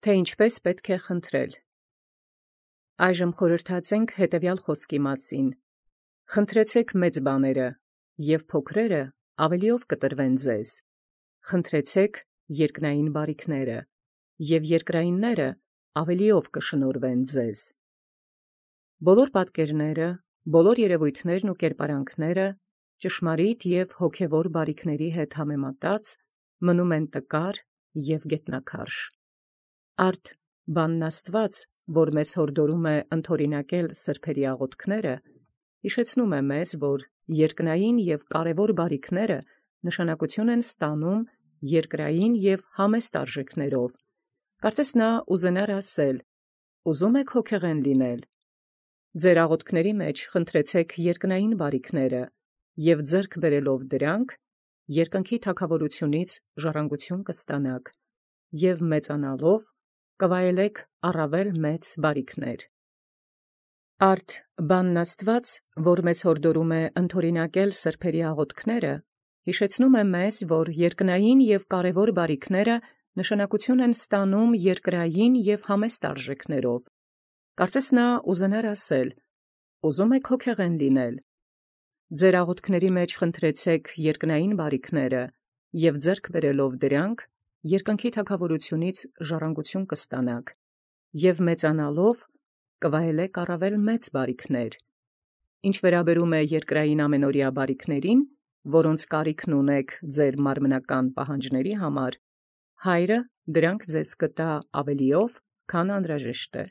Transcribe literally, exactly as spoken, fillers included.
Թե ինչպես պետք է խնդրել։ Այժմ խորհրդացենք հետևյալ խոսքի մասին. խնդրեցեք մեծ բաները, և փոքրերը ավելիով կտրվեն ձեզ. խնդրեցեք երկնային բարիքները, և երկրայինները ավելիով կշնորհվեն ձեզ։ Բոլոր պատկերները, բոլոր երևույթներն ու կերպարանքները ճշմարիտ և հոգևոր բարիքների հետ համեմատած մնում են տկար և գետնաքարշ։ Արդ բանն Աստված, որ մեզ հորդորում է ընդօրինակել սրբերի աղոթքները, հիշեցնում է մեզ, որ երկնային և կարևոր բարիքները նշանակություն են ստանում երկրային և համեստ արժեքներով։ Կարծես նա ուզենար ասել. «Ուզում եք հոգեղեն լինել. ձեր աղոթքների մեջ խնդրեցեք երկնային բարիքները, և ձեռք բերելով դրանք, երկնքի թագավորությունից ժառանգություն կստանաք, և մեծանալով կվայելեք առավել մեծ բարիքներ»։ Արդ բանն Աստված, որ մեզ հորդորում է ընդօրինակել սրբերի աղոթքները, հիշեցնում է մեզ, որ երկնային և կարևոր բարիքները նշանակություն են ստանում երկրային և համեստ արժեքներով։ Կարծես նա ուզենար ասել. «Ուզում եք հոգեղեն լինել. ձեր աղոթքների մեջ խնդրեցեք երկնային բարիքները, և ձեռք բերելով դրանք, երկնքի թագավորությունից ժառանգություն կստանաք, և մեծանալով կվայելեք առավել մեծ բարիքներ»։ Ինչ վերաբերում է երկրային ամենօրյա բարիքներին, որոնց կարիքն ունեք ձեր մարմնական պահանջների համար, Հայրը դրանք ձեզ կտա ավելիով, քան անհրաժեշտ է։